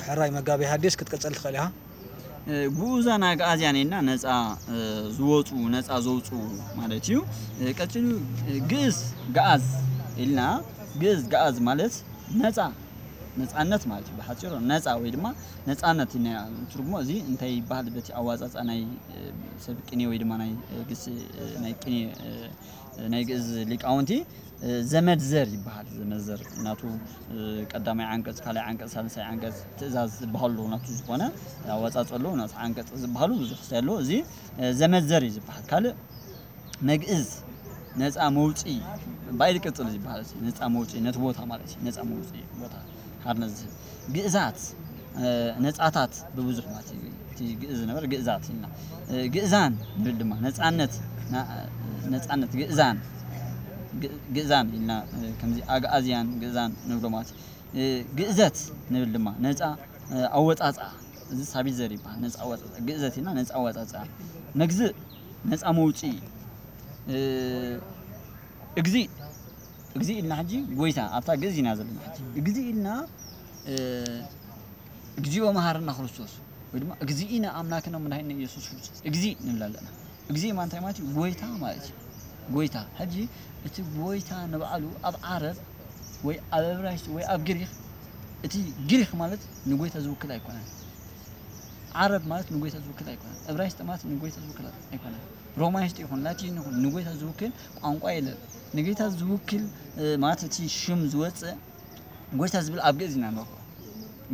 ሕራይ መጋቤ ሐዲስ ክትቅጽል ትኽእል ኢኻ። ግኡዛን ኣግኣዝያን ኢልና ነፃ ዝወፁ፣ ነፃ ዘውፁ ማለት እዩ። ቀፂሉ ግእዝ፣ ገኣዝ ኢልና፣ ግእዝ ገኣዝ ማለት ነፃ፣ ነፃነት ማለት እዩ። ብሓፂሩ ነፃ ወይ ድማ ነፃነት ኢና ትርጉሞ። እዚ እንታይ ይበሃል? በቲ ኣዋፃፃ ናይ ሰብ ቅኔ ወይ ድማ ናይ ግስ ናይ ቅኔ ናይ ግእዝ ሊቃውንቲ ዘመድ ዘር ይበሃል። ዘመድ ዘር ናቱ ቀዳማይ ዓንቀፅ፣ ካልኣይ ዓንቀፅ፣ ሳልሳይ ዓንቀፅ ትእዛዝ ዝበሃሉ ናቱ ዝኾነ ኣወፃፀሉ ናቱ ዓንቀፅ ዝበሃሉ ብዙሕ ክስታይ ኣሎ። እዚ ዘመድ ዘር እዩ ዝበሃል። ካልእ መግእዝ ነፃ መውፅኢ ባይል ቅፅል ዝበሃል እዚ ነፃ መውፅኢ ነቲ ቦታ ማለት እዩ። ነፃ መውፅኢ ቦታ ሓርነት ዝህብ ግእዛት ነፃታት ብብዙሕ ማለት እዩ። እቲ ግእዝ ዝነበረ ግእዛት ኢልና ግእዛን ንብል ድማ ነፃነት ነፃነት ግእዛን ግእዛን ኢልና ከምዚ ኣግኣዝያን ግእዛን ንብሎ ማለት እዩ። ግእዘት ንብል ድማ ነፃ ኣወፃፃ፣ እዚ ሳቢት ዘር ይበሃል። ነፃ ኣወፃፃ ግእዘት ኢልና ነፃ ኣወፃፃ። መግዝእ ነፃ መውፅኢ። እግዚእ እግዚእ ኢልና ሕጂ ጎይታ ኣብታ ግእዝ ኢና ዘለና። ሕጂ እግዚእ ኢልና እግዚኦ መሃርና ክርስቶስ ወይ ድማ እግዚእነ ኣምላክነ መድኃኒነ ኢየሱስ ክርስቶስ እግዚእ ንብል ኣለና። እግዚእ ማለት እንታይ ማለት እዩ? ጎይታ ማለት እዩ። ጎይታ ሕጂ እቲ ጎይታ ንባዕሉ ኣብ ዓረብ ወይ ኣብ እብራይስጥ ወይ ኣብ ግሪክ፣ እቲ ግሪክ ማለት ንጎይታ ዝውክል ኣይኮነን። ዓረብ ማለት ንጎይታ ዝውክል ኣይኮነን። እብራይስጥ ማለት ንጎይታ ዝውክል ኣይኮነን። ሮማይስጥ ይኹን ላቲን ይኹን ንጎይታ ዝውክል ቋንቋ የለን። ንጌታ ዝውክል ማለት እቲ ሽም ዝወፅእ ጎይታ ዝብል ኣብ ግእዝ ኢና ንረኽቦ።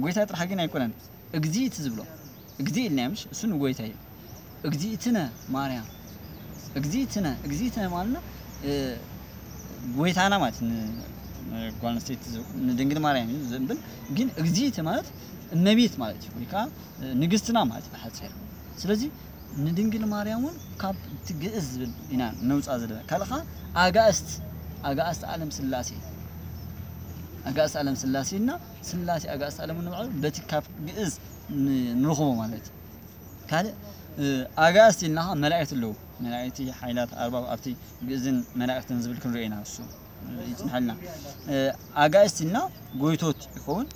ጎይታ ጥራሕ ግን ኣይኮነን። እግዚእት ዝብሎ እግዚእ ኢልና ምሽ እሱ ንጎይታ እዩ። እግዚእትነ ማርያም፣ እግዚእትነ፣ እግዚእትነ ማለትና ጎይታና ማለት ጓል ኣንስተይቲ ንድንግል ማርያም እዩ ዝብል። ግን እግዚእት ማለት እመቤት ማለት እዩ፣ ወይ ከዓ ንግስትና ማለት እዩ ብሓፂር። ስለዚ ንድንግል ማርያም እውን ካብ እቲ ግእዝ ዝብል ኢና ነውፃ ዘለና። ካልእ ከዓ ኣጋእስት፣ ኣጋእስት ዓለም ስላሴ፣ ኣጋእስት ዓለም ስላሴ እና ስላሴ ኣጋእስት ዓለም ንባዕሉ በቲ ካብ ግእዝ ንረኽቦ ማለት እዩ። ካልእ ኣጋእስት ኢልና ከዓ መላእክት ኣለዉ። መላእክቲ ሓይላት ኣርባብ ኣብቲ ግእዝን መላእክትን ዝብል ክንሪኦ ኢና። እሱ ይፅንሐልና። ኣጋእስት ኢልና ጎይቶት ይኸውን።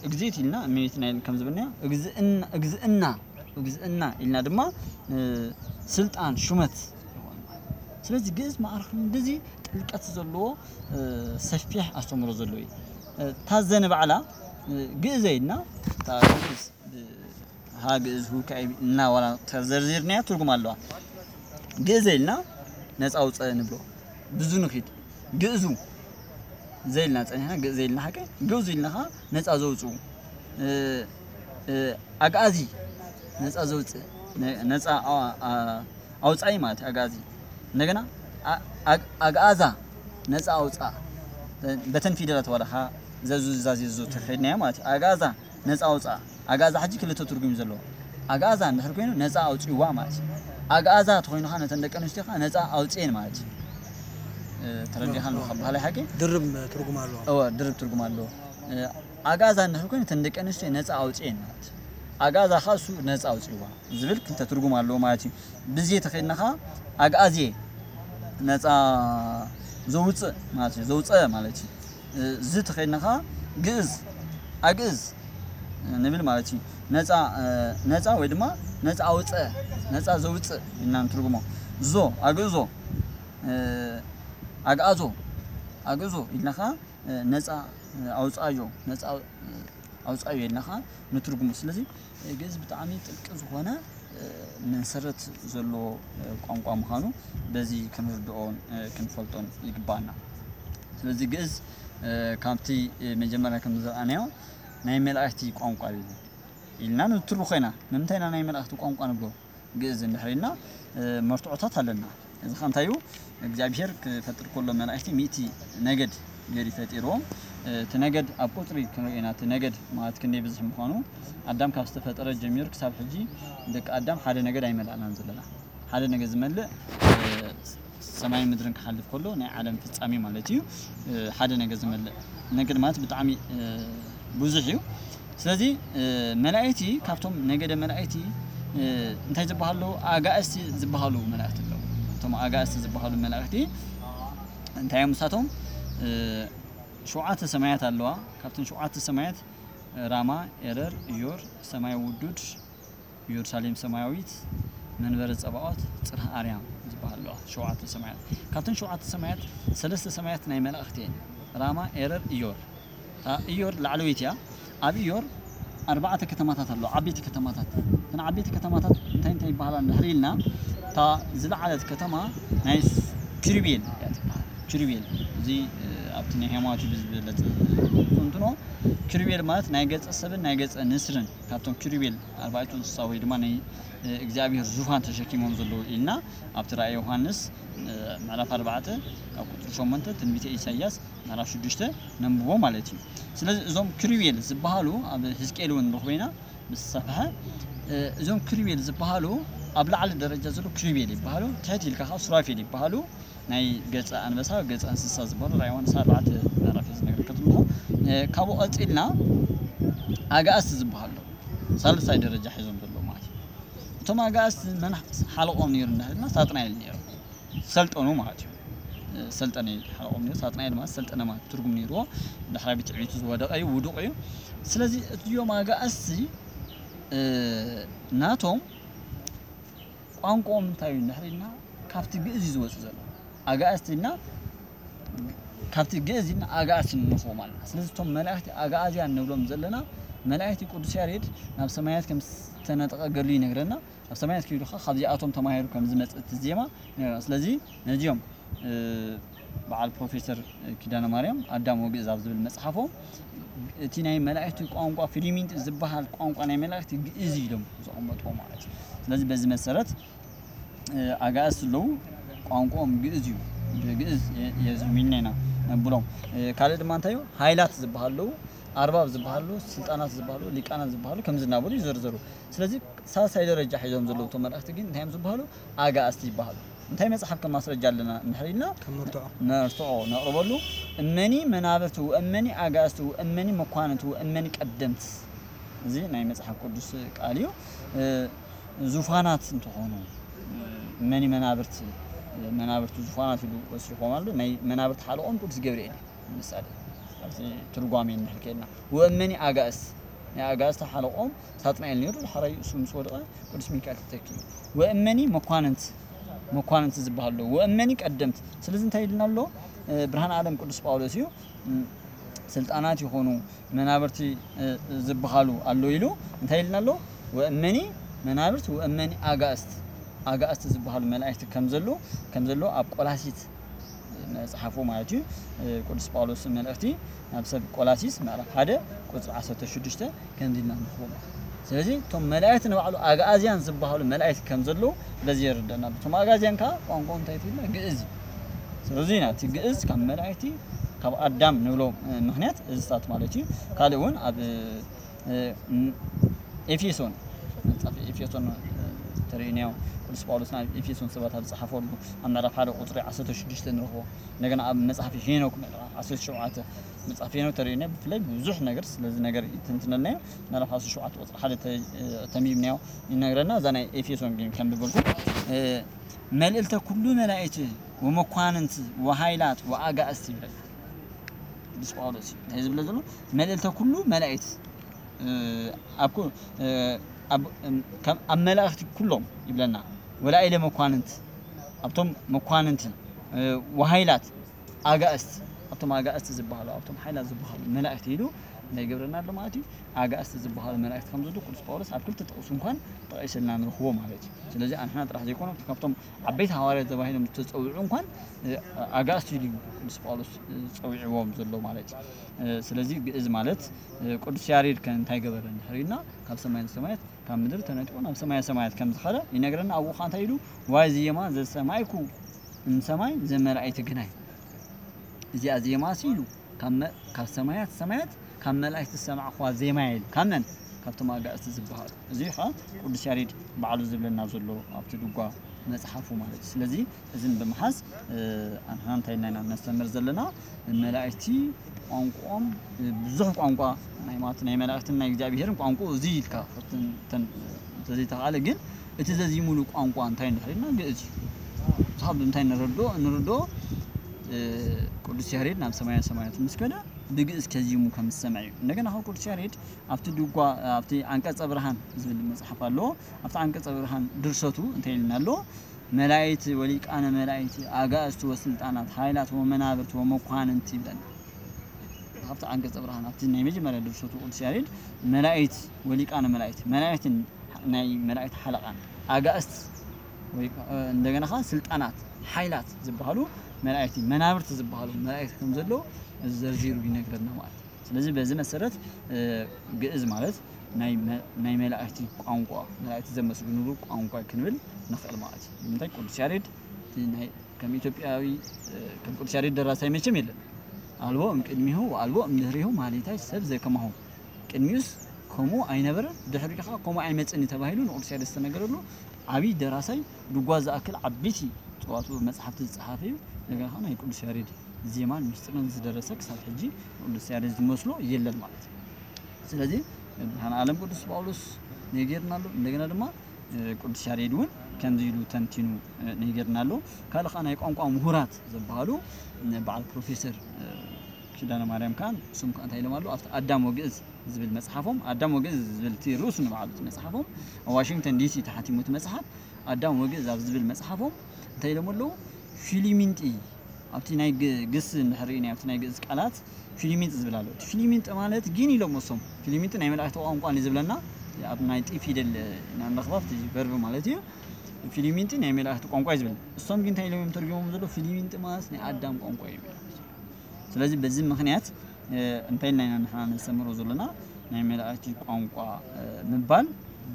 እግዜት ኢልና እመቤትና ኢል ከም ዝብልናዮ እግዝእና እግዝእና ኢልና ድማ ስልጣን ሹመት ይኸውን። ስለዚ ግእዝ ማዕረ ክንድዚ ጥልቀት ዘለዎ ሰፊሕ ኣስተምህሮ ዘለዎ እዩ። እታ ዘ ንባዕላ ግእዘ ኢልና እታ ግእዝ ሃ ግእዝ ሁ ካዕብ እና ዋላ ተዘርዚርናያ ትርጉም ኣለዋ። ግእዘ ኢልና ነፃ ኣውፀ ንብሎ ብዙ ንኺድ ግእዙ ዘይልና ፀኒሕና ግእዘ ኢልና ሓቂ ግእዙ ኢልና ከዓ ነፃ ዘውፅኡ ኣግኣዚ ነፃ ዘውፅእ ነፃ ኣውፃኢ ማለት ኣግኣዚ። እንደገና ኣግኣዛ ነፃ ኣውፃ በተን ፊደላት ዋላካ ዘዙዛዜዙ ተኸድናዮ ማለት እዩ። ኣግኣዛ ነፃ ኣውፃ ኣግኣዛ ሕጂ ክልተ ትርጉም እዩ ዘለዎ። ኣግኣዛ እንድሕር ኮይኑ ነፃ ኣውፅእዋ ማለት እዩ። ኣግኣዛ ተኮይኑ ከዓ ነተን ደቂ ኣንስትዮ ከዓ ነፃ ኣውፅኤን ማለት እዩ። ተረዲኻ ኣለካ ባህላይ ሓቂ ድርብ ትርጉም ኣለዎ። እወ ድርብ ትርጉም ኣለዎ። ኣግኣዛ እንድሕር ኮይኑ ነተን ደቂ ኣንስትዮ ነፃ ኣውፅኤን ማለት እዩ። ኣግኣዛ ከዓ እሱ ነፃ ኣውፅእዋ ዝብል ክልተ ትርጉም ኣለዎ ማለት እዩ። ብዜ ተኸድና ከዓ ኣግኣዜ ነፃ ዘውፅእ ማለት እዩ። ዘውፀ ማለት እዩ። ዝ ተኸድና ከዓ ግእዝ ኣግእዝ ንብል ማለት እዩ። ነፃ ነፃ ወይ ድማ ነፃ ኣውፀ ነፃ ዘውፅእ ኢልና ንትርጉሞ። ዞ ኣግእዞ ኣግኣዞ ኣግእዞ ኢልና ከዓ ነፃ ኣውፃዮ ነፃ ኣውፃዮ ኢልና ከዓ ንትርጉሞ። ስለዚ ግእዝ ብጣዕሚ ጥልቂ ዝኾነ መሰረት ዘለዎ ቋንቋ ምዃኑ በዚ ክንርድኦን ክንፈልጦን ይግባኣና። ስለዚ ግእዝ ካብቲ መጀመርያ ከም ዝረኣናዮ ናይ መላእክቲ ቋንቋ እዩ ኢልና ንትርኾ ኢና። ንምንታይ ኢና ናይ መላእክቲ ቋንቋ ንብሎ? ግእዝ እንድሕር ኢልና መርትዖታት ኣለና። እዚ ከ እንታይ እዩ? እግዚኣብሄር ክፈጥር ከሎ መላእክቲ ሚእቲ ነገድ ገይሩ ፈጢርዎም። እቲ ነገድ ኣብ ቁፅሪ ክንሪኦ ኢና። እቲ ነገድ ማለት ክንደይ ብዝሕ ምዃኑ ኣዳም ካብ ዝተፈጠረ ጀሚሩ ክሳብ ሕጂ ደቂ ኣዳም ሓደ ነገድ ኣይመላእናን ዘለና። ሓደ ነገድ ዝመልእ ሰማይን ምድርን ክሓልፍ ከሎ ናይ ዓለም ፍጻሜ ማለት እዩ። ሓደ ነገድ ዝመልእ ነገድ ማለት ብጣዕሚ ብዙሕ እዩ። ስለዚ መላእክቲ ካብቶም ነገደ መላእክቲ እንታይ ዝበሃሉ ኣለዉ? ኣጋእዝቲ ዝበሃሉ መላእክቲ ኣለዉ። እቶም ኣጋእዝቲ ዝበሃሉ መላእክቲ እንታይ እዮም ንሳቶም? ሸውዓተ ሰማያት ኣለዋ። ካብተን ሸውዓተ ሰማያት ራማ፣ ኤረር፣ እዮር፣ ሰማይ ውዱድ፣ ኢየሩሳሌም ሰማያዊት፣ መንበረ ጸባኦት፣ ጽርሐ ኣርያም ዝበሃሉ ኣለዋ። ሸውዓተ ሰማያት። ካብተን ሸውዓተ ሰማያት ሰለስተ ሰማያት ናይ መላእኽቲ እየን። ራማ፣ ኤረር፣ እዮር። እታ እዮር ላዕለወይቲ እያ። ኣብ እዮር ኣርባዕተ ከተማታት ኣለዋ፣ ዓበይቲ ከተማታት። እተን ዓበይቲ ከተማታት እንታይ እንታይ ይበሃላ እንድሕር ኢልና፣ እታ ዝለዓለት ከተማ ናይ ስ-፣ ኪሩቤል እያ ትበሃል። ኪሩቤል፣ እዚ፣ እ፣ ኣብቲ ናይ ሃይማኖት ብዝበለጸ እንትኖ፣ ኪሩቤል ማለት ናይ ገጸ ሰብን ናይ ገጸ ንስርን፣ ካብቶም ኪሩቤል ኣርባዕቱ እንስሳ ወይ ድማ ናይ፣ እ፣ እግዚኣብሔር ዙፋን ተሸኪሞም ዘለዉ ኢልና ኣብቲ ራእይ ዮሃንስ፣ እ፣ ምዕራፍ ኣርባዕተ ካብ ቁጽሪ ሸሞንተ፣ ትንቢተ ኢሳይያስ ምዕራፍ ሽዱሽተ ነንብቦ ማለት እዩ። ስለዚ እዞም ኪሩቤል ዝበሃሉ ኣብ ህዝቅኤል እውን ንረኽቦ ኢና ምስ ሰፍሐ፣ እ፣ እዞም ኪሩቤል ዝበሃሉ ኣብ ላዕሊ ደረጃ ዘለዉ ኪሩቤል ይበሃሉ፣ ትሕት ኢልካ ከዓ ሱራፌል ይበሃሉ። ናይ ገጸ ኣንበሳ፣ ገጸ እንስሳ ዝበሃሉ ራእይ ዮሃንስ ኣርባዕተ ምዕራፍ እዩ ዝነግረካ ዘለኹ። እ፣ ካብኡ ቀጺልና ኣጋእዝቲ ዝበሃሉ ኣለዉ። ሳልሳይ ደረጃ ሒዞም ዘለዉ ማለት እዩ። እቶም ኣጋእዝቲ መን ሓለቆም ነይሩ እንዳበልና ሳጥናኤል ነይሩ። ሰልጠኑ ማለት እዩ። እ፣ ሰልጠነ ሓለቆም ነይሩ። ሳጥናኤል ማለት ሰልጠነ ማለት ትርጉም ነይርዎ። ዳሕራይ ብትዕቢቱ ዝወደቀ እዩ፣ ውዱቅ እዩ። ስለዚ እዚኦም ኣጋእዝቲ፣ እ፣ ናቶም ቋንቋኦም እንታይ እዩ እንድሕር ኢልና ካብቲ ግእዝ እዩ ዝወጽእ ዘሎ። ኣጋእዝቲ ኢልና ካብቲ ግእዝ ኢልና ኣጋእዝቲ ንረኽቦ ማለት እዩ። ስለዚ እቶም መላእኽቲ ኣጋእዝያን ንብሎም ዘለና መላእኽቲ ቅዱስ ያሬድ ናብ ሰማያት ከም ዝተነጠቐ ገድሉ ይነግረና። ኣብ ሰማያት ከይዱ ኸዓ ካብዚኣቶም ተማሂሩ ከም ዝመጽእ እቲ ዜማ ይነግረና። ስለዚ ነዚኦም፣ እ፣ በዓል ፕሮፌሰር ኪዳነ ማርያም ኣዳም ወግእዝ ኣብ ዝብል መጽሓፎም እቲ ናይ መላእኽቲ ቋንቋ ፊሊሚንጥ ዝበሃል ቋንቋ ናይ መላእኽቲ ግእዝ ኢሎም ዘቐመጥዎ ማለት እዩ። ስለዚ በዚ መሰረት፣ እ፣ ኣጋእዝቲ ኣለዉ፣ ቋንቋኦም ግእዝ እዩ። ብግእዝ የ-፣ የዝሚልና ኢና ነብሎም። እ፣ ካልእ ድማ እንታይ እዩ? ሃይላት ዝበሃሉ ኣለዉ፣ ኣርባብ ዝበሃሉ፣ ስልጣናት ዝበሃሉ፣ ሊቃናት ዝበሃሉ ከምዚ እናበሉ ይዘርዘሩ። ስለዚ ሳልሳይ ደረጃ ሒዞም ዘለዉ እቶም መላእኽቲ ግን እንታይ እዮም ዝበሃሉ? ኣጋእዝቲ ይበሃሉ። እንታይ መጽሓፍ ከም ማስረጃ ኣለና እንድሕር ኢልና ከም መርትዖ። መርትዖ ነቕርበሉ። እመኒ መናብርቲ ወእመኒ ኣጋእዝቲ ወእመኒ መኳንንቲ ወእመኒ ቀደምት። እዚ ናይ መጽሓፍ ቅዱስ ቃል እዩ። እ፣ ዙፋናት እንትኾኑ፣ እ፣ እመኒ መናብርቲ፣ መናብርቲ ዙፋናት ኢሉ ወሲኾም ኣሎ። ናይ መናብርቲ ሓለቆም ቅዱስ ገብርኤል እዩ። ምሳሌ፣ ኣብቲ ትርጓሜ እንድሕር ከይድና፣ ወእመኒ ኣጋእዝቲ፣ ናይ ኣጋእዝቲ ሓለቆም ሳጥናኤል ነይሩ፣ ድሕራይ እሱ ምስ ወደቐ ቅዱስ ሚካኤል ተተኪኡ። ወእመኒ መኳንንት፣ መኳንንት ዝበሃሉ ኣለዉ። ወእመኒ ቀደምት። ስለዚ እንታይ ኢልና ኣሎ? እ፣ ብርሃን ዓለም ቅዱስ ጳውሎስ እዩ። እ፣ ስልጣናት ይኾኑ መናብርቲ፣ እ፣ ዝበሃሉ ኣሎ ኢሉ እንታይ ኢልና ኣሎ? ወእመኒ መናብርት ወእመኒ ኣጋእዝት፣ ኣጋእዝቲ ዝበሃሉ መላእክቲ ከም ዘሎ፣ ከም ዘሎ ኣብ ቆላሲት መጽሓፉ ማለት እዩ። እ፣ ቅዱስ ጳውሎስ መልእኽቲ ናብ ሰብ ቆላሲስ ምዕራፍ ሓደ ቁጽሪ ዓሰርተ ሽዱሽተ ከምዚ ኢልና ንረኽቦ። ስለዚ እቶም መላእክቲ ንባዕሉ ኣግኣዝያን ዝበሃሉ መላእክቲ ከም ዘለዉ በዚ የርደና። እቶም ኣግኣዝያን ከኣ ቋንቋ እንታይ ትብልና? ግእዝ እዩ። ስለዚ ኢና እቲ ግእዝ ካብ መላእክቲ ካብ ኣዳም ንብሎ፣ እ፣ ምኽንያት እዝታት ማለት እዩ። ካልእ እውን ኣብ፣ እ፣ ም-፣ ኤፌሶን፣ መጽሓፍ ኤፌሶን፣ እ፣ ተርእዩናዮ። ቅዱስ ጳውሎስ ናብ ኤፌሶን ሰባት ኣብ ዝጸሓፈሉ ኣብ ምዕራፍ ሓደ ቁጽሪ ዓሰርተ ሽዱሽተ ንረኽቦ። እንደገና ኣብ መጽሓፍ ሄኖክ ምዕራፍ ዓሰርተ ሸውዓተ፣ መጽሓፍ ሄኖክ ተርእዩና ብፍላይ ብዙሕ ነገር ስለዚ ነገር ይትንትነልና እዩ። ምዕራፍ ዓሰርተ ሸውዓተ ቁጽሪ ሓደ ተ-፣ እ፣ ተንቢብናዮ ይነግረና። እዛ ናይ ኤፌሶን ግን ከንብበልኩም። እ፣ መልእልተ ኩሉ መላእክት ወመኳንንት ወሃይላት ወኣጋእዝት ይብለና ቅዱስ ጳውሎስ እዩ። እንታይ ዝብለ ዘሎ? መልእልተ ኩሉ መላእክት፣ እ፣ ኣብ ኩ-፣ እ፣ ኣብ፣ እም፣ ከም፣ ኣብ መላእክቲ ኩሎም ይብለና። ወላኢለ መኳንንት፣ ኣብቶም መኳንንቲ፣ እ፣ ወሃይላት ኣጋእዝት፣ ኣብቶም ኣጋእዝት ዝበሃሉ፣ ኣብቶም ሓይላት ዝበሃሉ መላእክቲ ኢሉ እንታይ ይገብረና ኣሎ ማለት እዩ? ኣጋእዝት ዝበሃሉ መላእክቲ ከም ዘለዉ ቅዱስ ጳውሎስ ኣብ ክልተ ጥቕሲ እንኳን ጠቒስልና ንረኽቦ ማለት እዩ። ስለዚ ኣንሕና ጥራሕ ዘይኮነ ካብቶም ዓበይቲ ሃዋርያት ተባሂሎም ዝተጸውዑ እንኳን፣ እ፣ ኣጋእዝቲ ኢሉ እዩ ቅዱስ ጳውሎስ፣ እ፣ ጸዊዕዎም ዘሎ ማለት እዩ። እ፣ ስለዚ ግእዝ ማለት፣ እ፣ ቅዱስ ያሬድ ከ እንታይ ገበረ እንድሕር ኢልና፣ ካብ ሰማይ ሰማያት ካብ ምድሪ ተነጢቑ ናብ ሰማየ ሰማያት ከም ዝኸደ ይነግረና። ኣብኡ ኸኣ እንታይ ኢሉ? ዋይ ዜማ ዘሰማይኩ እምሰማይ ዘመላእክት ግናይ። እዚኣ ዜማሲ ኢሉ ካብ መ-፣ ካብ ሰማያት ሰማያት ካብ መላእክቲ ዝሰማዕኽዋ ዜማ ኢሉ። ካብ መን? ካብቶም ኣጋእዝቲ ዝበሃሉ። እዚ ኸኣ ቅዱስ ያሬድ ባዕሉ ዝብለና ዘሎ ኣብቲ ድጓ መጽሓፉ ማለት እዩ። ስለዚ እዝን ብምሓዝ፣ እ፣ ኣንሕና እንታይ ኢልና ኢና ነስተምር ዘለና? መላእክቲ ቋንቋኦም፣ እ፣ ብዙሕ ቋንቋ ናይ ማለት ናይ መላእክትን ናይ እግዚኣብሄርን ቋንቋ እዚ ኢልካ ተን-፣ ተን-፣ እንተዘይተኻእለ ግን እቲ ዘዚሙሉ ቋንቋ እንታይ እንድሕር ኢልና ግእዝ እዩ። ንስኻ ብምንታይ ንረድኦ? እንርድኦ፣ እ፣ ቅዱስ ያሬድ ናብ ሰማየ ሰማያት ምስ ከደ ብግእዝ ከዚሙ ከም ዝሰምዕ እዩ። እንደገና ካብ ቅዱስ ያሬድ ኣብቲ ድጓ ኣብቲ ዓንቀጸ ብርሃን ዝብል መጽሓፍ ኣለዎ። ኣብቲ ዓንቀጸ ብርሃን ድርሰቱ እንታይ ኢልና ኣሎ? መላእክት ወሊቃነ መላእክት ኣጋእዝቲ ወስልጣናት ሃይላት ወመናብርት ወመኳንንት ይብለና። ኣብቲ ዓንቀጸ ብርሃን ኣብቲ ናይ መጀመርያ ድርሰቱ ቅዱስ ያሬድ መላእክት ወሊቃነ መላእክት መላእክትን ናይ መላእክት ሓለቓን ኣጋእዝት ወይ እንደገና ከዓ ስልጣናት ሓይላት ዝበሃሉ መላእክቲ መናብርት ዝበሃሉ መላእክቲ ከም ዘለዉ ዘርዚሩ ይነግረና ማለት እዩ። ስለዚ በዚ መሰረት ግእዝ ማለት ናይ መላእክቲ ቋንቋ መላእክቲ ዘመስግንሉ ቋንቋ ክንብል ንኽእል ማለት እዩ። ንምንታይ ቅዱስ ያሬድ ከም ኢትዮጵያዊ ከም ቅዱስ ያሬድ ደራሳይ መቸም የለን። ኣልቦ እምቅድሚሁ ወኣልቦ እምድህሪሁ ማሌታይ ሰብ ዘከማሁ ቅድሚኡስ ከምኡ ኣይነበረን፣ ድሕሪኡ ከዓ ከምኡ ኣይመፅን እዩ ተባሂሉ ንቅዱስ ያሬድ ዝተነገረሉ ዓብዪ ደራሳይ ድጓ ዝኣክል ዓበይቲ ፅዋቱ መፅሓፍቲ ዝፀሓፈ እዩ። እንደገና ከዓ ናይ ቅዱስ ያሬድ ዜማን ምስጢርን ዝደረሰ ክሳብ ሕጂ ንቅዱስ ያሬድ ዝመስሎ የለን ማለት እዩ። ስለዚ መድኃኔ ዓለም ቅዱስ ጳውሎስ ነጊርና ኣሎ። እንደገና ድማ ቅዱስ ያሬድ እውን ከምዚ ኢሉ ተንቲኑ ነጊርና ኣሎ። ካልእ ከዓ ናይ ቋንቋ ምሁራት ዝበሃሉ በዓል ፕሮፌሰር ኪዳነ ማርያም ከዓ እሱም ከዓ እንታይ ኢሎም ኣለዉ ኣብቲ ኣዳም ወግእዝ ዝብል መጽሓፎም ኣዳም ወግእዝ ዝብል እቲ ርእሱ ንባዕሉ እቲ መጽሓፎም ኣብ ዋሽንግተን ዲሲ ተሓቲሙ እቲ መጽሓፍ ኣዳም ወግእዝ ኣብ ዝብል መጽሓፎም እንታይ ኢሎም ኣለዉ ፊሊሚንጢ ኣብቲ ናይ ግስ እንድሕር ርኢና ኣብቲ ናይ ግእዝ ቃላት ፊሊሚንጢ ዝብል ኣሎ እቲ ፊሊሚንጢ ማለት ግን ኢሎም እሶም ፊሊሚንጢ ናይ መላእክቲ ቋንቋ ንዝብለና ኣብ ናይ ጢ ፊደል ኢና ንረኽባ ኣብቲ ቨርብ ማለት እዩ ፊሊሚንጢ ናይ መላእክቲ ቋንቋ እዩ ዝብል እሶም ግን እንታይ ኢሎም እዮም ተርጊሞም ዘሎ ፊሊሚንጢ ማለት ናይ ኣዳም ቋንቋ እዮም ስለዚ በዚ ምኽንያት እንታይ ኢልና ኢና ንሕና ነስተምሮ ዘለና ናይ መላእክቲ ቋንቋ ምባል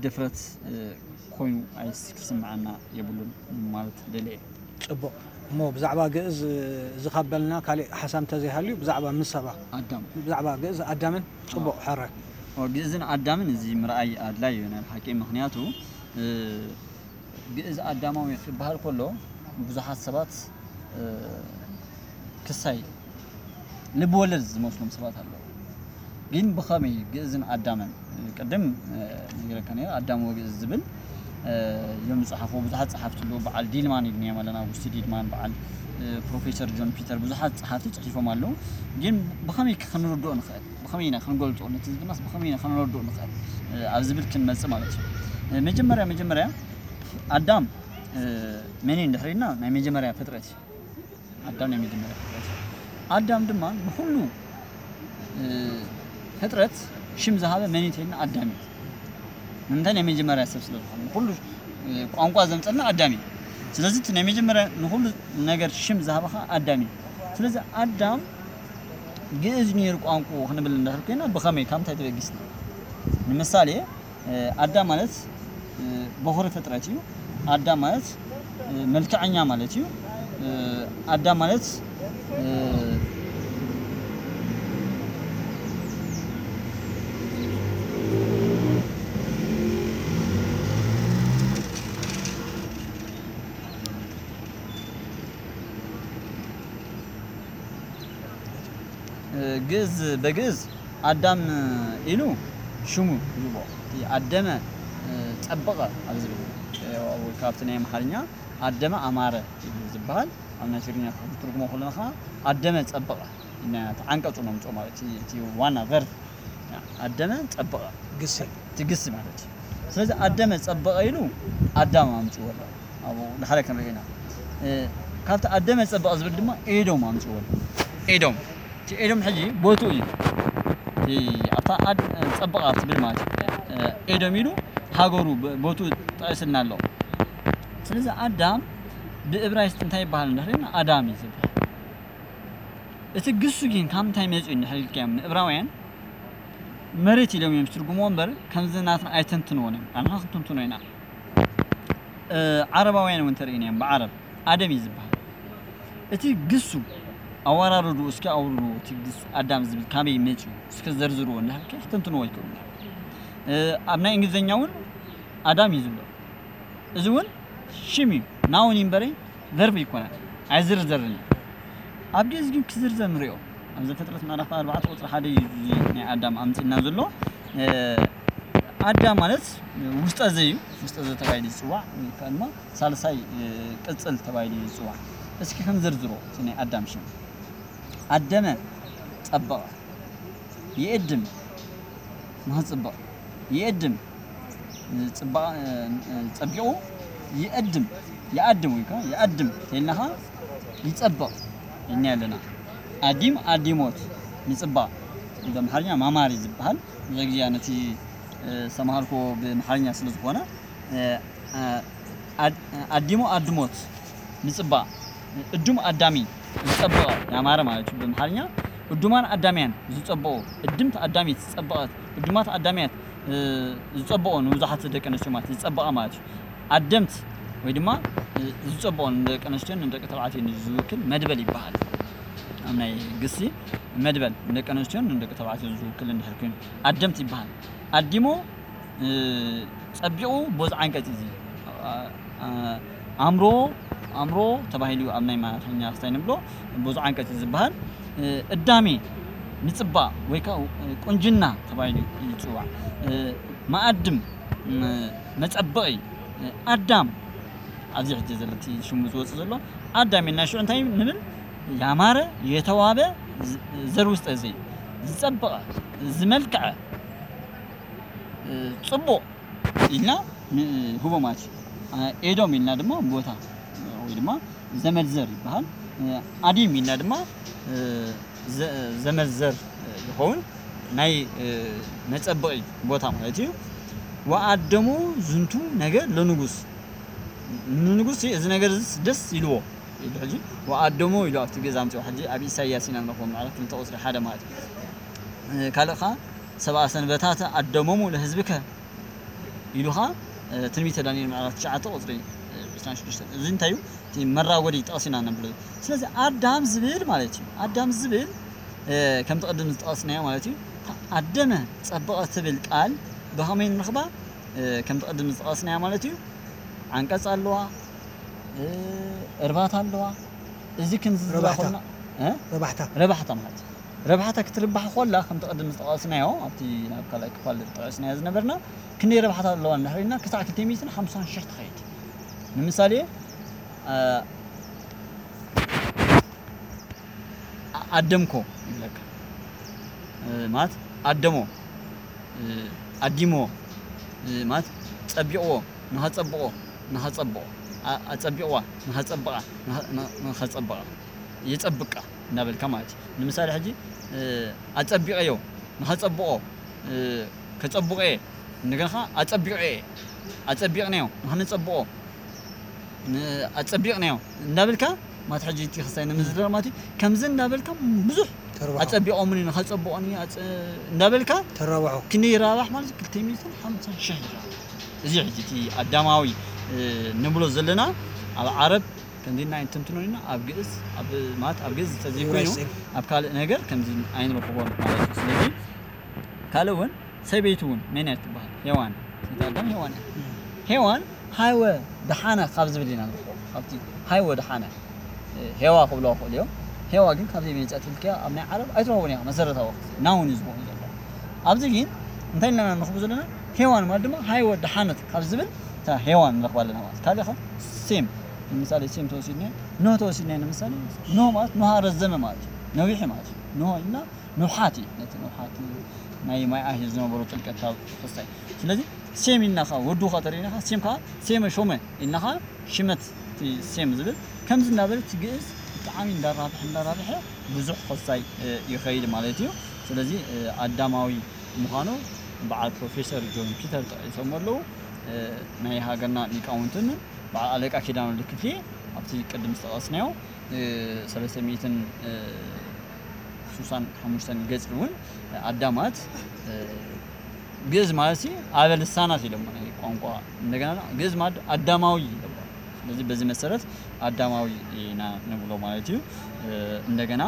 ድፍረት ኮይኑ ኣይስ ክስምዓና የብሉን ማለት ደልየ ጽቡቕ እሞ ብዛዕባ ግእዝ እዚ ካብ በልና ካሊእ ሓሳብ እንተዘይሃልዩ ብዛዕባ ምሰባ ኣዳም ብዛዕባ ግእዝ ኣዳምን ጽቡቕ ሕራይ ግእዝን ኣዳምን እዚ ምርኣይ ኣድላይ እዩ ናይ ብሓቂ ምክንያቱ ግእዝ ኣዳማዊ ክበሃል ከሎ ብዙሓት ሰባት ክሳይ ልቢ ወለድ ዝመስሎም ሰባት ኣለዉ። ግን ብኸመይ ግእዝን ኣዳምን ቅድም ነጊረካ ነይረ ኣዳም ወግእዝ ዝብል እዮም ዝፀሓፍዎ ብዙሓት ፀሓፍቲ ኣለዉ። በዓል ዲልማን ኢልናዮም ኣለና ኣውጉስቲ ዲልማን በዓል ፕሮፌሰር ጆን ፒተር ብዙሓት ፀሓፍቲ ፅሒፎም ኣለዉ። ግን ብኸመይ ከ ክንርድኦ ንኽእል? ብኸመይ ኢና ክንገልፆ? ነቲ ዝብልናስ ብኸመይ ኢና ከነረድኦ ንኽእል? ኣብ ዝብል ክንመፅእ ማለት እዩ። መጀመርያ መጀመርያ ኣዳም መን እዩ እንድሕር ኢልና ናይ መጀመርያ ፍጥረት እዩ። ኣዳም ናይ መጀመርያ ፍጥረት እዩ። ኣዳም ድማ ንኹሉ ፍጥረት ሽም ዝሃበ መን እዩ እንተኢልና ኣዳም እዩ። ንምንታይ ናይ መጀመርያ ሰብ ስለ ዝኾነ ንኹሉ ቋንቋ ዘምፀልና ኣዳም እዩ። ስለዚ እቲ ናይ መጀመርያ ንኹሉ ነገር ሽም ዝሃበ ከዓ ኣዳም እዩ። ስለዚ ኣዳም ግእዝ ነይሩ ቋንቋ ክንብል እንድሕር ኮይና ብኸመይ ካብ ምንታይ ተበጊስና? ንምሳሌ ኣዳም ማለት በኹሪ ፍጥረት እዩ። ኣዳም ማለት መልክዐኛ ማለት እዩ። ኣዳም ማለት ግእዝ በግእዝ ኣዳም ኢሉ ሽሙ ይቦ ኣደመ ጸበቐ ኣብ ዝብል ወይ ካብቲ ናይ ኣምሓርኛ ኣደመ ኣማረ ኢሉ ዝበሃል ኣብ ናይ ትግርኛ ክትርጉሞ ከለና ከዓ ኣደመ ጸበቐ ኢና ተዓንቀጹ ነምጾ ማለት እቲ ዋና ቨርብ ኣደመ ጸበቐ ግሲ እቲ ግሲ ማለት እዩ። ስለዚ ኣደመ ጸበቐ ኢሉ ኣዳም ኣምጽዎ ኣሎ። ኣብኡ ንሓደ ክንርኢ ኢና። ካብቲ ኣደመ ጸበቐ ዝብል ድማ ኤዶም ኣምጽዎ ኣሎ። ኤዶም እቲ ኤዶም ሕጂ ቦትኡ እዩ። ኣብታ ጸበቐ ትብል ማለት እዩ። ኤዶም ኢሉ ሃገሩ ቦትኡ ጠቒስልና ኣሎ። ስለዚ ኣዳም ብእብራይስጥ እንታይ ይበሃል እንድሕር ኣዳም እዩ ዝበሃል። እቲ ግሱ ግን ካብ ምንታይ መፂኡ እንድሕር ኢልካዮም ንእብራውያን መሬት ኢሎም እዮም ዝትርጉምዎ እምበር ከምዚ ናትና ኣይተንትንዎን እዮም። ኣንሕና ክንትንትኖ ኢና። ዓረባውያን እውን ተርእይና እዮም ብዓረብ ኣደም እዩ ዝበሃል። እቲ ግሱ ኣወራርዱ እስኪ ኣውርዱ እቲ ግስ ኣዳም ዝብል ካበይ መፂኡ እስኪ ዘርዝርዎ እንድሕር ክትንትንዎ ኣይክእሉ ኣብ ናይ እንግሊዝኛ እውን ኣዳም እዩ ዝብሎ። እዚ እውን ሽም እዩ ናውን እዩ እምበረይ ቨርብ ይኮነን ኣይዝርዘርን እዩ። ኣብ ግእዝ ግን ክዝርዘር ንሪኦ ኣብ ዘፍጥረት ምዕራፍ ኣርባዕተ ቁፅሪ ሓደ እዩ እዚ ናይ ኣዳም ኣምፂና ዘሎ። ኣዳም ማለት ውስጠ ዘ እዩ። ውስጠ ዘ ተባሂሉ ዝፅዋዕ ወይ ከዓ ድማ ሳልሳይ ቅፅል ተባሂሉ እዩ ዝፅዋዕ። እስኪ ክንዝርዝሮ እቲ ናይ ኣዳም ሽም ኣደመ ጸበቐ ይእድም ንኽጽብቕ። ይእድም ጽባ-፣ ጸቢቑ ይእድም። ይኣድም ወይ ከኣ ይኣድም ተይልና ኸኣ ይጸብቕ ኢልና ኣለና። ኣዲም ኣዲሞት ምጽባቕ ብኣምሓርኛ ማማር እዩ ዝበሃል። ብዙሕ ግዜ ነቲ ዝተምሃርኩዎ ብኣምሓርኛ ስለ ዝኾነ፣ ኣድ-፣ ኣዲሞ ኣድሞት ምጽባቕ፣ እዱም ኣዳሚ ዝጸበቐ ያማረ ማለት እዩ ብኣምሓርኛ። እዱማን ኣዳምያን ዝጸበቑ፣ እድምት ኣዳሚት ዝጸበቐት፣ እዱማት ኣዳምያት ዝጸበቑ ንብዙሓት ደቂ ኣንስትዮ ማለት ዝጸበቐ ማለት እዩ። ኣደምት ወይ ድማ ዝጸበቑ ንደቂ ኣንስትዮን ንደቂ ተባዕትዮን ዝውክል መድበል ይበሃል። ኣብ ናይ ግሲ መድበል ንደቂ ኣንስትዮን ንደቂ ተባዕትዮን ዝውክል እንድሕር ኮይኑ ኣደምት ይበሃል። ኣዲሞ ጸቢቑ ቦዝ ዓንቀጽ እዚ ኣምሮ ኣምሮ ተባሂሉ ኣብ ናይ ኣምሓርኛ ክስታይ ንብሎ ቦዝ ዓንቀጽ ዝበሃል። እዳሜ ምጽባቕ ወይ ከዓ ቁንጅና ተባሂሉ ይጽዋዕ። መኣድም መጸበቒ ኣዳም ኣብዚ ሕጂ ዘለቲ ሽሙ ዝወጽእ ዘሎ ኣዳም ኢልና ሽዑ እንታይ ንብል? ያማረ የተዋበ ዘር ውስጠ ዘይ ዝጸበቐ ዝመልክዐ ጽቡቕ ኢልና ንህቦ ማለት እዩ። ኤዶም ኢልና ድማ ቦታ ወይ ድማ ዘመድ ዘር ይበሃል። ኣዲም ኢልና ድማ ዘመድ ዘር ይኸውን። ናይ መጸበቒ ቦታ ማለት እዩ። ወኣደሙ ዝንቱ ነገር ለንጉስ፣ ንንጉስ እዚ ነገር እዚ ደስ ኢልዎ ኢሉ ሕጂ ወኣደሙ ኢሉ ኣብቲ ገዛ ኣምፅኦ። ሕጂ ኣብ ኢሳያስ ኢና ንረኽቦ ምዕራፍ ክልተ ቁፅሪ ሓደ ማለት እዩ። ካልእ ከዓ ሰብኣ ሰንበታት ኣደሞሙ ለህዝብከ ኢሉ ከዓ ትንቢተ ዳንኤል ምዕራፍ ትሽዓተ ቁፅሪ ዕስራን ሽዱሽተን። እዚ እንታይ እዩ? እቲ መራጎዲ ጠቕሲና ነብሎ። ስለዚ ኣዳም ዝብል ማለት እዩ። ኣዳም ዝብል ከምቲ ቅድም ዝጠቐስናዮ ማለት እዩ። ኣደመ ጸበቐ ትብል ቃል ብኸመይ ንረኽባ? ከምቲ ቅድም ዝጠቐስናዮ ማለት እዩ። ዓንቀጽ ኣለዋ፣ እርባታ ኣለዋ። እዚ ክንዝዝባ ረባሕታ። ኮልና፣ እ? ረባሕታ። ረባሕታ ማለት እዩ። ረባሕታ ክትርባሕ ኮላ ከምቲ ቅድም ዝጠቐስናዮ ኣብቲ ናብ ካልኣይ ክፋል ዝጠቐስናዮ ዝነበርና ክንደይ ረባሕታ ኣለዋ እንድሕር ኢልና ክሳዕ ክልተ ሚእትን ሓምሳን ሽሕ ትኸይድ። ንምሳሌ፣ እ፣ ኣደምኮ ይብለካ። እ፣ ማለት ኣደሞ፣ እ፣ ኣዲሞ፣ እ፣ ማለት ጸቢቕዎ፣ ንኸጸብቖ፣ ንኸጸብቖ፣ ኣ-፣ ኣጸቢቕዋ፣ ንኸጸብቓ፣ ንኸ-፣ ን-፣ ንኸጸብቓ፣ የጸብቃ እንዳበልካ ማለት እዩ። ንምሳሌ ሕጂ፣ እ፣ ኣጸቢቐዮ፣ ንኸጸብቖ፣ እ፣ ከጸብቑ እየ፣ እንደገና ኸዓ ኣጸቢቑ እየ፣ ኣጸቢቕናዮ፣ ንኸነጸብቖ፣ ን-፣ ኣጸቢቕናዮ እንዳበልካ ማለት ሕጂ እቲ ክስታይ ንምዝርራብ ማለት እዩ። ከምዚ እንዳበልካ ብዙሕ ተርባሖ። ኣጸቢቖምኒ፣ ንኸጸብቑኒ ኣጸ-፣ እንዳበልካ ተራባሖ። ክንደይ ይራባሕ ማለት ክልተ ሚእትን ሓምሳን ሽሕ ይራባሕ። እዚ ሕጂ እቲ ኣዳማዊ፣ እ፣ ንብሎ ዘለና ኣብ ዓረብ ከምዚ ኢልና ኣይንትንትኖን ኢና፣ ኣብ ግእዝ፣ ኣብ፣ ማለት ኣብ ግእዝ እንተዘይኮይኑ ይወስን። ኣብ ካልእ ነገር ከምዚ ኣይንረኽቦን ማለት እዩ። ስለዚ ካልእ እውን ሰበይቲ እውን መን እያ ትበሃል? ሄዋን። ሰበይቲ ኣዳም ሄዋን እያ። እም። ሄዋን ሃይወ ደሓነ ካብ ዝብል ኢና ንረኽቦ። ካብቲ ሃይወ ደሓነ፣ እ፣ ሄዋ ክብልዋ ይኽእሉ እዮም። ሄዋ ግን ካብዘይ መጸት ኢልክያ ኣብ ናይ ዓረብ ኣይትረኽቦን ኢኻ። መሰረታዊ ናውን እዩ ዝኾን ዘሎ። ኣብዚ ግን እንታይ ኢልና ንረኽቦ ዘለና? ሄዋን ማለት ድማ ሃይወ ደሓነት ካብ ዝብል እታ ሄዋን ንረኽባ ኣለና ማለት። ካልእ ኸ ሴም፣ ንምሳሌ ሴም ተወሲድና፣ ኖህ ተወሲድና ንምሳሌ፣ ኖህ ማለት ኖሃ ረዘመ ማለት እዩ። ነዊሐ ማለት እዩ። ኖህ ኢልና ንውሓት እዩ። ነቲ ንውሓት ናይ ማይ ኣሂር ዝነበሮ ጥልቀት ካብ ክስታይ። ስለዚ ሴም ኢልና ኸ ወዱ ኸ ተሪእና ኸ ሴም ከኣ ሴመ ሾመ ኢልና ኸ ሽመት እቲ ሴም ዝብል ከምዚ እናበለ እቲ ግእዝ ብጣዕሚ እንዳራብሐ እንዳራብሐ ብዙሕ ክስታይ፣ እ፣ ይኸይድ ማለት እዩ። ስለዚ፣ እ፣ ኣዳማዊ ምዃኑ በዓል ፕሮፌሰር ጆን ፒተር ጠቒሶም ኣለዉ። እ፣ ናይ ሃገርና ሊቃውንትን በዓል ኣለቃ ኪዳነ ወልደ ክፍሌ ኣብቲ ቅድም ዝጠቐስናዮ፣ እ፣ ሰለስተ ሚእትን፣ እ፣ ስሳን ሓሙሽተን ገጽ እውን ኣዳማት፣ እ፣ ግእዝ ማለት ሲ ኣበ ልሳናት ኢሎም ናይ ቋንቋ እንደገና ግእዝ ማለት ኣዳማዊ ኢሎም። ስለዚ በዚ መሰረት ኣዳማዊ ኢና ንብሎ ማለት እዩ። እ፣ እንደገና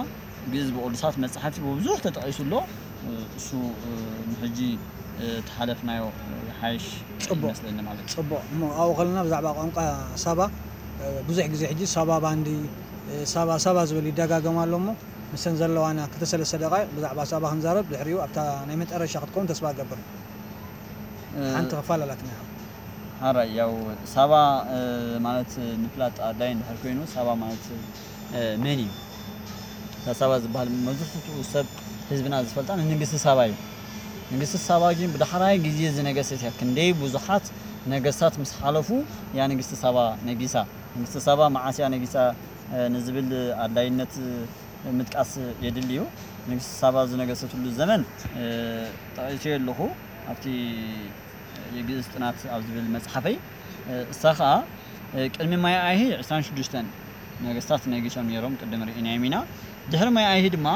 ግእዝ ብቅዱሳት መጻሕፍቲ ብብዙሕ ተጠቒሱ ኣሎ። እ፣ እሱ፣ እ፣ ንሕጂ፣ እ፣ ተሓለፍናዮ፣ እ፣ ይሓይሽ ጽቡቕ። ይመስለኒ ማለት እዩ። ጽቡቕ። እሞ ኣብኡ ከለና ብዛዕባ ቋንቋ ሳባ፣ እ፣ ብዙሕ ግዜ ሕጂ ሳባ ባንዲ፣ እ፣ ሳባ፣ ሳባ ዝብል ይደጋገም ኣሎ እሞ፣ ምሰን ዘለዋና ክልተ ሰለስተ ደቓይቕ ብዛዕባ ሳባ ክንዛረብ፣ ድሕሪኡ ኣብታ ናይ መጨረሻ ክትከውን ተስፋ እገብር። እ፣ ሓንቲ ክፋል ኣላትና። ሓራይ፣ ያው ሳባ፣ እ፣ ማለት ምፍላጥ ኣድላይ እንድሕር ኮይኑ፣ ሳባ ማለት፣ እ፣ መን እዩ? እታ ሳባ ዝበሃል መብዛሕትኡ ሰብ ህዝብና ዝፈልጣ ንንግስቲ ሳባ እዩ። ንግስቲ ሳባ ግን ብዳሕራይ ግዜ ዝነገሰት እያ። ክንደይ ብዙሓት ነገስታት ምስ ሓለፉ እያ ንግስቲ ሳባ ነጊሳ። ንግስቲ ሳባ መዓስ እያ ነጊሳ ንዝብል ኣድላይነት ምጥቃስ የድሊ እዩ። ንግስቲ ሳባ ዝነገሰትሉ ዘመን ጠቒሰዮ ኣለኹ ኣብቲ የግእዝ ጥናት ኣብ ዝብል መጽሓፈይ። እሳ ኸኣ ቅድሚ ማይ ኣይሂ ዕስራን ሽዱሽተን ነገስታት ነጊሶም ነይሮም፣ ቅድም ርኢናዮም ኢና። ድሕሪ ማይ ኣይሂ ድማ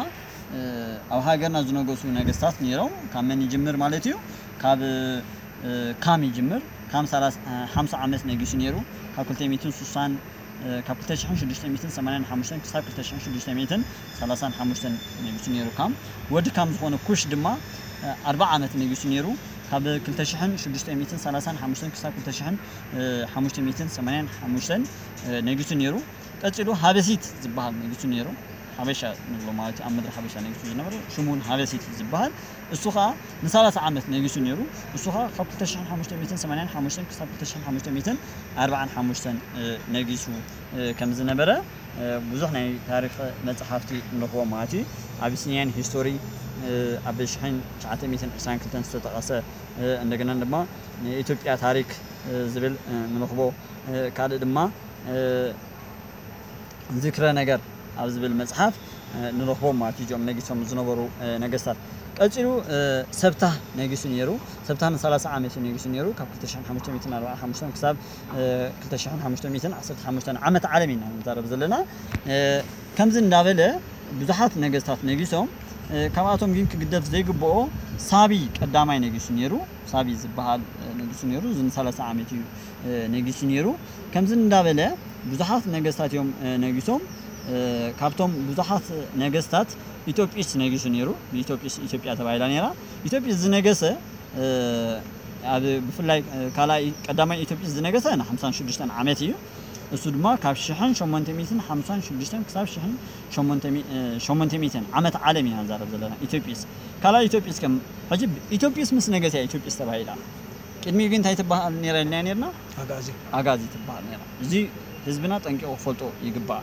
ኣብ ሃገርና ዝነገሱ ነገስታት ነይሮም። ካብ መን ይጅምር ማለት እዩ? ካብ ካም ይጅምር። ካም ሓምሳ ዓመት ነጊሱ ነይሩ። ካብ ክልተ ሚእትን ስሳን ካብ ክልተ ሽሕን ሽዱሽተ ሚእትን ሰማንያን ሓሙሽተን ክሳብ ክልተ ሽሕን ሽዱሽተ ሚእትን ሰላሳን ሓሙሽተን ነጊሱ ነይሩ። ካም ወዲ ካም ዝኾነ ኩሽ ድማ ኣርባዓ ዓመት ነጊሱ ነይሩ። ካብ ክልተ ሽሕን ሽዱሽተ ሚእትን ሰላሳን ሓሙሽተን ክሳብ ክልተ ሽሕን ሓሙሽተ ሚእትን ሰማንያን ሓሙሽተን ነጊሱ ነይሩ። ቀጺሉ ሃበሲት ዝበሃል ነጊሱ ነይሩ። ሓበሻ ንብሎ ማለት እዩ። ኣብ ምድሪ ሓበሻ ነጊሱ ዝነበረ ሽሙን ሃበሲት ዝበሃል፣ እሱ ኸኣ ንሰላሳ ዓመት ነጊሱ ነይሩ። እሱ ኸኣ ካብ ክልተ ሽሕን ሓሙሽተ ሚእትን ሰማንያን ሓሙሽተን ክሳብ ክልተ ሽሕን ሓሙሽተ ሚእትን ኣርባዓን ሓሙሽተን ነጊሱ ከም ዝነበረ ብዙሕ ናይ ታሪኽ መጽሓፍቲ ንረኽቦ ማለት እዩ። ኣቢሲኒያን ሂስቶሪ ኣብ ሽሕን ትሽዓተ ሚእትን ዕስራን ክልተን ዝተጠቐሰ፣ እንደገና ድማ ንኢትዮጵያ ታሪክ ዝብል ንረኽቦ። ካልእ ድማ ዝክረ ነገር ኣብ ዝብል መጽሓፍ ንረኽቦም ማለት እዩ፣ እዚኦም ነጊሶም ዝነበሩ ነገስታት። ቀጺሉ ሰብታ ነጊሱ ነይሩ። ሰብታ ን30 ዓመት እዩ ነጊሱ ነይሩ፣ ካብ ክልተ ሽሕን ሓሙሽተ ሚእትን ኣርባዓን ሓሙሽተን ክሳብ ክልተ ሽሕን ሓሙሽተ ሚእትን ዓሰርተ ሓሙሽተን ዓመት ዓለም ኢና ንዛረብ ዘለና። ከምዚ እንዳበለ ብዙሓት ነገስታት ነጊሶም፣ ካብኣቶም ግን ክግደፍ ዘይግብኦ ሳቢ ቀዳማይ ነጊሱ ነይሩ። ሳቢ ዝበሃል ነጊሱ ነይሩ። እዚ ን30 ዓመት እዩ ነጊሱ ነይሩ። ከምዚ እንዳበለ ብዙሓት ነገስታት እዮም ነጊሶም። ካብቶም ብዙሓት ነገስታት ኢትዮጵስ ነጊሱ ነይሩ። ኢትዮጵስ ኢትዮጵያ ተባሂላ ነይራ። ኢትዮጵስ ዝነገሰ ኣብ ብፍላይ ካልኣይ ቀዳማይ ኢትዮጵስ ዝነገሰ ን ሓምሳን ሽዱሽተን ዓመት እዩ። እሱ ድማ ካብ ሽሕን ሸሞንተ ሚእትን ሓምሳን ሽዱሽተን ክሳብ ሽሕን ሸሞንተ ሚእትን ዓመት ዓለም ኢና ንዛረብ ዘለና። ኢትዮጵስ ካልኣይ ኢትዮጵስ ከም ሕጂ ኢትዮጵስ ምስ ነገሰ እያ ኢትዮጵስ ተባሂላ። ቅድሚኡ ግን እንታይ ትበሃል ነይራ ኢልና ነይርና? ኣጋዚ። ኣጋዚ ትበሃል ነይራ። እዚ ህዝብና ጠንቂቑ ክፈልጦ ይግባእ።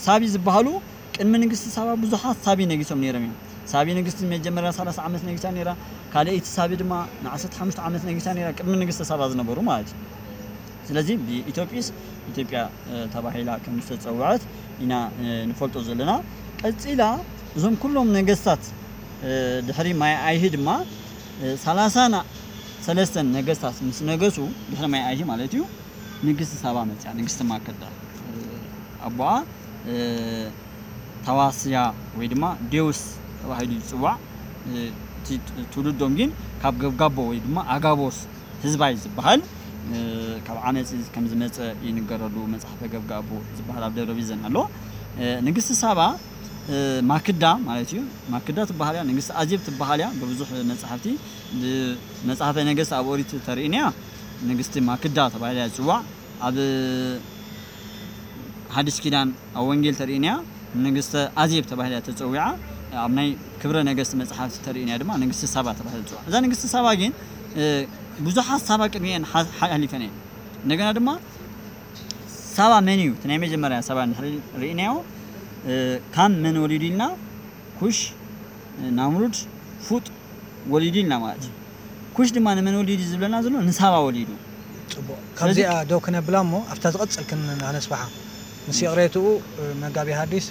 ሳቢ ዝበሃሉ ቅድሚ ንግስቲ ሳባ ብዙሓት ሳቢ ነጊሶም ነይሮም እዮም። ሳቢ ንግስቲ መጀመርያ ሰላሳ ዓመት ነጊሳ ነይራ። ካልኣይቲ ሳቢ ድማ ን ዓሰርተ ሓሙሽተ ዓመት ነጊሳ ነይራ፣ ቅድሚ ንግስቲ ሳባ ዝነበሩ ማለት እዩ። ስለዚ ብኢትዮጵስ ኢትዮጵያ ተባሂላ ከም ዝተጸውዐት ኢና ንፈልጦ ዘለና። ቀጺላ እዞም ኩሎም ነገስታት ድሕሪ ማይ ኣይሂ ድማ ሰላሳን ሰለስተን ነገስታት ምስ ነገሱ፣ ድሕሪ ማይ ኣይሂ ማለት እዩ፣ ንግስቲ ሳባ መጽያ፣ ንግስቲ ማክዳ። ኣቦኣ ታዋስያ ወይ ድማ ዴውስ ተባሂሉ ይጽዋዕ። እቲ ትውልዶም ግን ካብ ገብጋቦ ወይ ድማ ኣጋቦስ ህዝባይ ዝበሃል ካብ ዓመፅ ከም ዝመፀ ይንገረሉ። መፅሓፈ ገብጋቦ ዝበሃል ኣብ ደብረ ቢዘን ኣሎ። ንግስቲ ሳባ ማክዳ ማለት እዩ። ማክዳ ትበሃል እያ፣ ንግስቲ ኣዜብ ትበሃል እያ። ብብዙሕ መፅሓፍቲ፣ መፅሓፈ ነገስት ኣብ ኦሪት ተርእይና እያ፣ ንግስቲ ማክዳ ተባሂላ እያ ትፅዋዕ። ኣብ ሓድሽ ኪዳን ኣብ ወንጌል ተርእይና እያ፣ ንግስተ ኣዜብ ተባሂላ እያ ተፀዊዓ። ኣብ ናይ ክብረ ነገስት መፅሓፍቲ ተርእይና እያ ድማ ንግስቲ ሳባ ተባሂላ ትፅዋዕ። እዛ ንግስቲ ሳባ ግን ብዙሓት ሳባ ቅድሚአን ሓሊፈን እየን። እንደገና ድማ ሳባ መን እዩ እቲ ናይ መጀመርያ ሳባ እንድሕር ርኢናዮ፣ ካም መን ወሊዱ ኢልና፣ ኩሽ፣ ናምሩድ፣ ፉጥ ወሊዱ ኢልና ማለት እዩ። ኩሽ ድማ ንመን ወሊዱ ዝብለና ዘሎ ንሳባ ወሊዱ። ፅቡቕ። ካብዚኣ ደው ክነብላ እሞ ኣብታ ዝቐፅል ክነስፍሓ ምስ ይቕሬትኡ መጋቢ ሃዲስ